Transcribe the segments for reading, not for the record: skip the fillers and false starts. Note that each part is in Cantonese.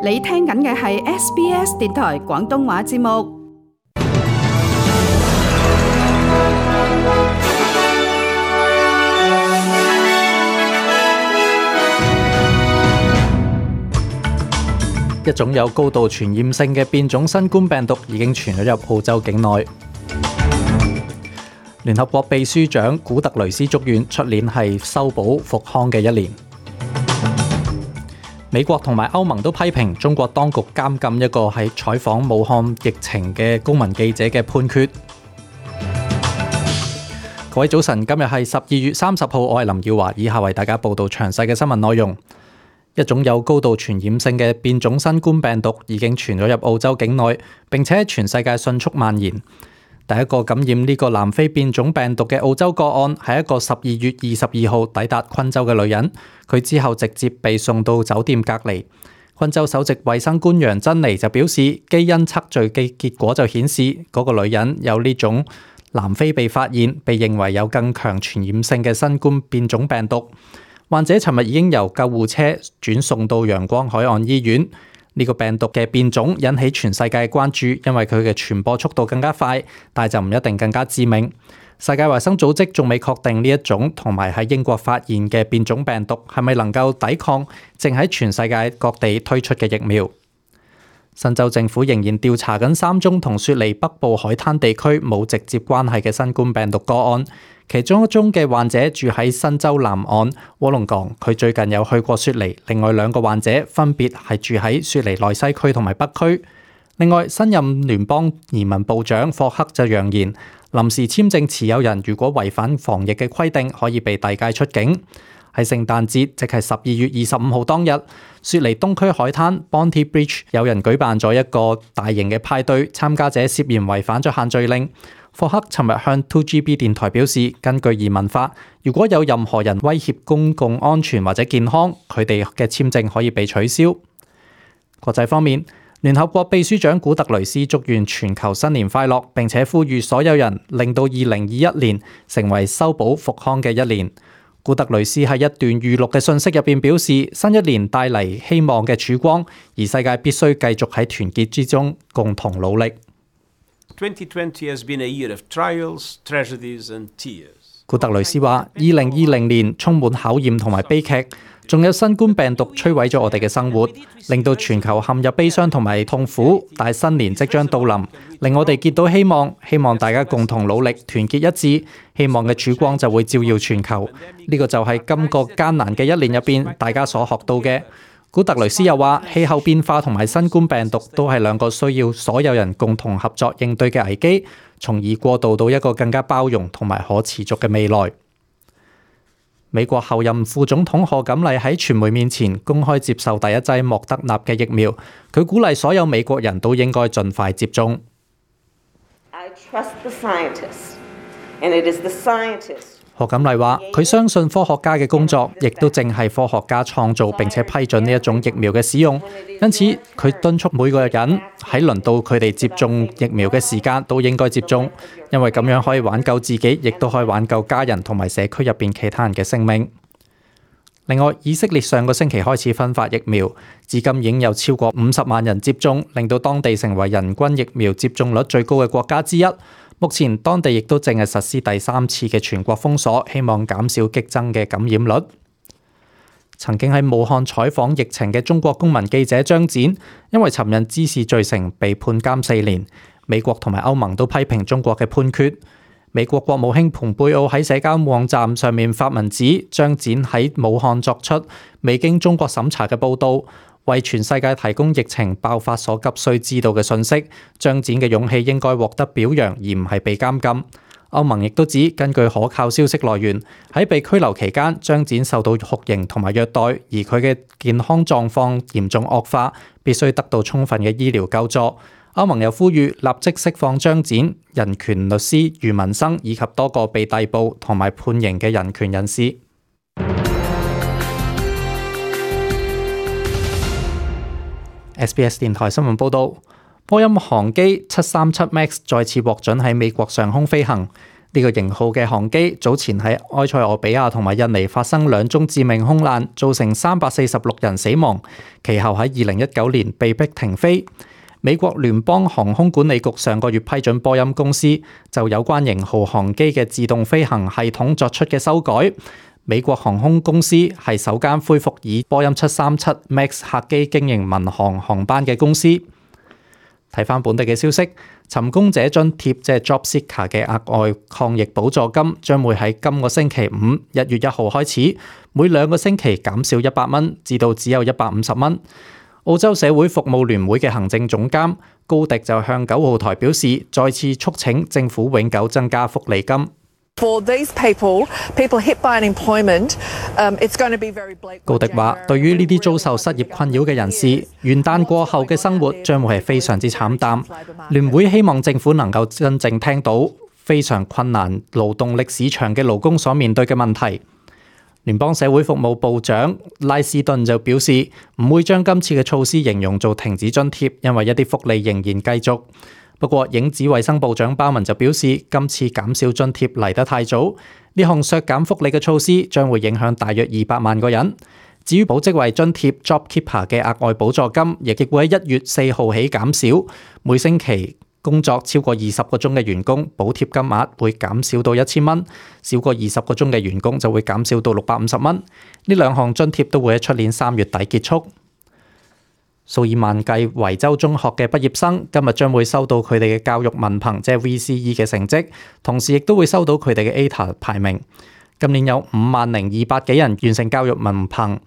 你聽緊嘅係 SBS 電台廣東話節目。一種有高度傳染性嘅變種新冠病毒已經傳咗入澳洲境內。聯合國秘書長古特雷斯祝願出年係修補復康嘅一年。美國同埋歐盟都批評中國當局監禁一個喺採訪武漢疫情嘅公民記者嘅判決。各位早晨，今日係12月30號，我係林耀華，以下為大家報道詳細嘅新聞內容。一種有高度傳染性嘅變種新冠病毒已經傳咗入澳洲境內，並且喺全世界迅速蔓延。第一個感染呢個南非變種病毒嘅澳洲個案係一個12月22號抵達昆州嘅女人，佢之後直接被送到酒店隔離。昆州首席衛生官楊珍妮就表示，基因測序嘅結果就顯示嗰個女人有呢種南非被發現、被認為有更強傳染性嘅新冠變種病毒。患者尋日已經由救護車轉送到陽光海岸醫院。呢個病毒嘅變種引起全世界關注，因為佢嘅傳播速度更加快，但就唔一定更加致命。世界衛生組織仲未確定呢一種同埋喺英國發現嘅變種病毒係咪能夠抵抗正喺全世界各地推出嘅疫苗。新州政府仍然調查緊3宗同雪梨北部海灘地區冇直接關係嘅新冠病毒個案，其中一宗嘅患者住喺新州南岸臥龍崗，佢最近有去過雪梨。另外2個患者分別係住喺雪梨內西區同埋北區。另外，新任聯邦移民部長霍克就揚言，臨時簽證持有人如果違反防疫嘅規定，可以被遞解出境。喺聖誕節，即係12月25號當日，雪梨東區海灘 Bondi Beach 有人舉辦咗一個大型嘅派對，參加者涉嫌違反咗限聚令。霍克尋日向 2GB 電台表示，根據移民法，如果有任何人威脅公共安全或者健康，佢哋嘅簽證可以被取消。國際方面，聯合國秘書長古特雷斯祝願全球新年快樂，並且呼籲所有人令到2021年成為修補復康嘅一年。古特雷斯喺一段預錄嘅信息入邊表示，新一年帶嚟希望嘅曙光，而世界必須繼續喺團結之中共同努力。2020 has been a year of trials, tragedies and tears. 古特雷斯話：2020年充滿考驗同埋悲劇，仲有新冠病毒摧毀咗我哋嘅生活，令到全球陷入悲傷同埋痛苦。但係新年即將到臨，令我哋見到希望，希望大家共同努力，團結一致，希望嘅曙光就會照耀全球。呢個就係今個艱難嘅一年入邊，大家所學到嘅。古特雷斯又話：氣候變化同埋新冠病毒都係2個需要所有人共同合作應對嘅危機，從而過渡到一個更加包容同埋可持續嘅未來。美國後任副總統賀錦麗喺傳媒面前公開接受第一劑莫德納嘅疫苗，佢鼓勵所有美國人都應該盡快接種。I trust the scientists, and it is the scientists. 賀錦麗話：佢相信科學家嘅工作，亦都正係科學家創造並且批准呢一種疫苗嘅使用。因此，佢敦促每個人喺輪到佢哋接種疫苗嘅時間都應該接種，因為咁樣可以挽救自己，亦都可以挽救家人同埋社區入邊其他人嘅性命。另外，以色列上個星期開始分發疫苗，至今已經有超過50萬人接種，令到當地成為人均疫苗接種率最高嘅國家之一。目前當地亦都正係實施第3次嘅全國封鎖，希望減少激增嘅感染率。曾經喺武漢採訪疫情嘅中國公民記者張展，因為尋釁滋事罪成被判監4年。美國同埋歐盟都批評中國嘅判決。美國國務卿蓬佩奧喺社交網站上面發文指，張展喺武漢作出未經中國審查嘅報導，為全世界提供疫情爆發所急需知道嘅信息。張展嘅勇氣應該獲得表揚，而唔係被監禁。歐盟亦都指，根據可靠消息來源，喺被拘留期間，張展受到酷刑同埋虐待，而佢嘅健康狀況嚴重惡化，必須得到充分嘅醫療救助。歐盟又呼籲立即釋放張展、人權律師余文生以及多個被逮捕同埋判刑嘅人權人士。SBS 電台新聞報導，波音航機737 MAX 再次獲准喺美國上空飛行。呢個型號嘅航機早前喺埃塞俄比亞同埋印尼發生2宗致命空難，造成346人死亡，其後喺2019年被迫停飛。美國聯邦航空管理局上個月批准波音公司就有關型號航機嘅自動飛行系統作出嘅修改。美國航空公司係首間恢復以波音737 MAX 客機經營民航航班嘅公司。睇返本地嘅消息，尋工者津貼即係 Job Seeker 嘅額外抗疫補助金將會喺今個星期5 1月1號開始，每2個星期減少100蚊，至到只有150蚊。澳洲社會服務聯會嘅行政總監高迪就向9號台表示，再次促請政府永久增加福利金。For these people hit by unemployment, it's going to be very bleak. 高迪話：對於呢啲遭受失業困擾嘅人士，元旦過後嘅生活將會係非常之慘淡。聯會希望政府能夠真正聽到非常困難勞動力市場嘅勞工所面對嘅問題。聯邦社會服務部長拉斯頓就表示，唔會將今次嘅措施形容做停止津貼，因為一啲福利仍然繼續。不過，影子衛生部長鮑文就表示，今次減少津貼嚟得太早，呢項削減福利嘅措施將會影響大約200萬個人。至於保職位津貼 JobKeeper 嘅額外補助金，亦會喺1月4號起減少，每星期工作超過20個鐘嘅員工，補貼金額會減少到1000蚊；少過20個鐘嘅員工就會減少到650蚊。呢兩項津貼都會喺出年3月底結束。數以萬計維州中學嘅畢業生今日將會收到佢哋嘅教育文憑，即係 VCE 嘅成績，同時亦都會收到佢哋嘅 ATAR 排名。今年有50200幾人完成教育文憑，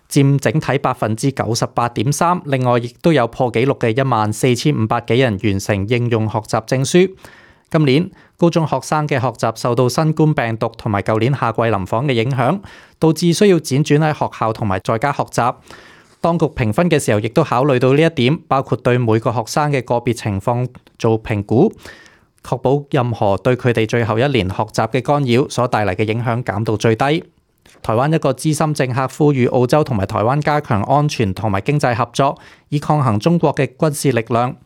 佔整體 98.3%。另外，亦都有破紀錄嘅14500幾人完成應用學習證書。今年高中學生嘅學習受到新冠病毒同埋舊年夏季臨訪嘅影響，導致需要輾轉喺學校同埋在家學習。當局評分嘅時候，亦都考慮到呢一點，包括對每個學生嘅個別情況做評估，確保任何對佢哋最後一年學習嘅干擾所帶嚟嘅影響減到最低。台灣一個資深政客呼籲澳洲同埋台灣加強安全同埋經濟合作，以抗衡中國嘅軍事力量。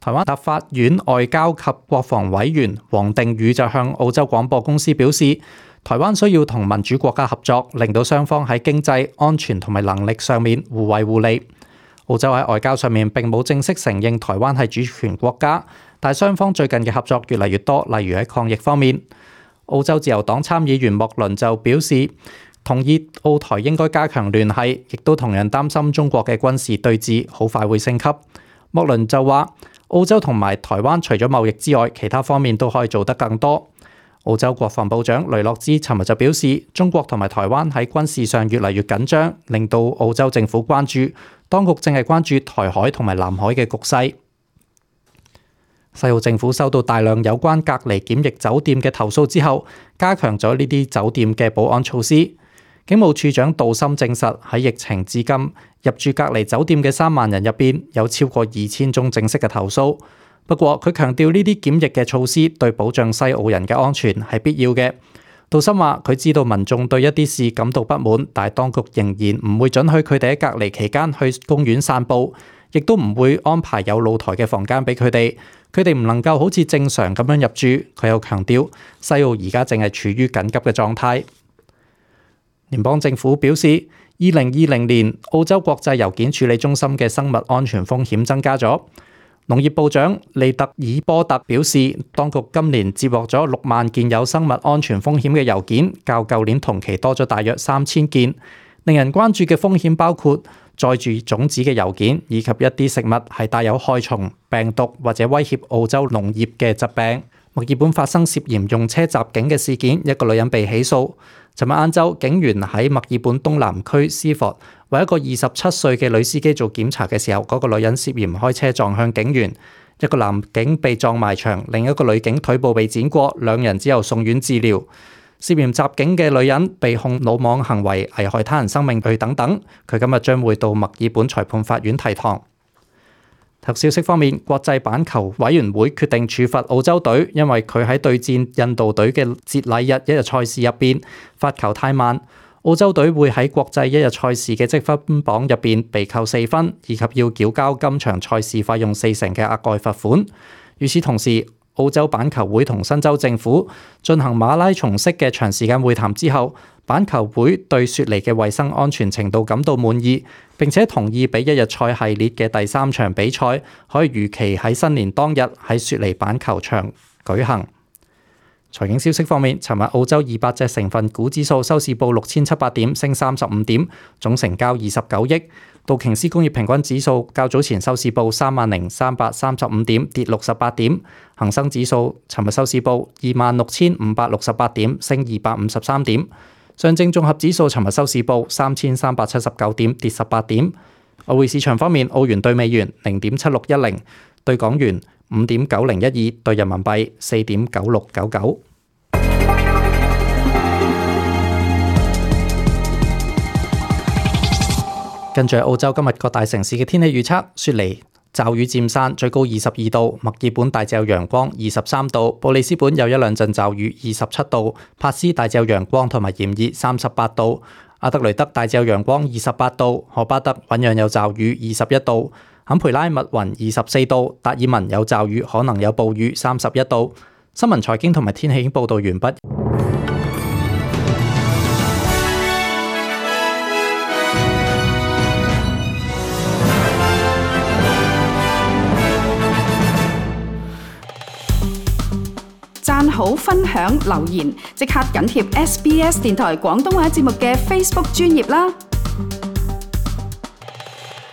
台灣立法院外交及國防委員黃定宇就向澳洲廣播公司表示，台灣需要同民主國家合作，令到雙方喺經濟、安全同埋能力上面互惠互利。澳洲喺外交上面並冇正式承認台灣係主權國家，但雙方最近嘅合作越嚟越多，例如喺抗疫方面。澳洲自由黨參議員莫倫就表示，同意澳台應該加強聯繫，亦都同樣擔心中國嘅軍事對峙好快會升級。莫倫就話，澳洲同埋台灣除咗貿易之外，其他方面都可以做得更多。澳洲國防部長雷諾茲尋日就表示，中國同埋台灣喺軍事上越嚟越緊張，令到澳洲政府關注，當局正係關注台海同埋南海嘅局勢。西澳政府收到大量有關隔離檢疫酒店嘅投訴之後，加強咗呢啲酒店嘅保安措施。警務處長杜森證實，喺疫情至今入住隔離酒店嘅3萬人入邊，有超過2000宗正式嘅投訴。不過，佢強調呢啲檢疫嘅措施對保障西澳人嘅安全係必要嘅。杜森話：佢知道民眾對一啲事感到不滿，但係當局仍然唔會准許佢哋喺隔離期間去公園散步，亦都唔會安排有露台嘅房間俾佢哋。佢哋唔能夠好似正常咁樣入住。佢又強調，西澳而家正係處於緊急嘅狀態。聯邦政府表示，2020年澳洲國際郵件處理中心嘅生物安全風險增加咗。農業部長利特爾波特表示，當局今年接獲咗6萬件有生物安全風險嘅郵件，較舊年同期多咗大約3000件。令人關注嘅風險包括載住種子嘅郵件，以及一啲食物係帶有害蟲、病毒或者威脅澳洲農業嘅疾病。墨爾本發生涉嫌用車襲警嘅事件，一個女人被起訴。尋日晏晝，警員喺墨爾本東南區斯佛為一個27歲嘅女司機做檢查嘅時候，嗰個女人涉嫌開車撞向警員，一個男警被撞埋牆，另一個女警腿部被剪過，兩人之後送院治療。涉嫌襲警嘅女人被控魯莽行為、危害他人生命罪等等，佢今日將會到墨爾本裁判法院提堂。體育消息方面，國際板球委員會決定處罰澳洲隊，因為佢喺對戰印度隊嘅節禮日一日賽事入邊發球太慢。澳洲隊會喺國際一日賽事嘅積分榜入邊被扣4分，以及要繳交今場賽事費用40%嘅額外罰款。與此同時，澳洲板球會同新州政府進行馬拉松式嘅長時間會談之後，板球會對雪梨嘅衛生安全程度感到滿意，並且同意俾一日賽系列嘅第3場比賽可以如期喺新年當日喺雪梨板球場舉行。財經消息方面，尋日澳洲200隻成分股指數收市報6700點，升35點，總成交29億。道瓊斯工業平均指數較早前收市報30335點，跌68點。恒生指數尋日收市報26568點，升253點。上證綜合指數尋日收市報3379點，跌18點。外匯市場方面，澳元對美元0.7610，對港元5.9012，對人民幣4.9699。跟住澳洲今日各大城市嘅天氣預測：雪梨驟雨佔山，最高22度；墨爾本大致有陽光，23度；布里斯本有一兩陣驟雨，27度；帕斯大致有陽光同埋炎熱，38度；阿德雷德大致有陽光，28度；荷巴德醞釀有驟雨，21度；坎培拉密雲24度；達爾文有驟雨，可能有暴雨，31度。新聞財經同埋天氣已經報導完畢。讚好、分享、留言，即刻緊貼SBS 電台廣東話節目嘅 Facebook 專頁啦！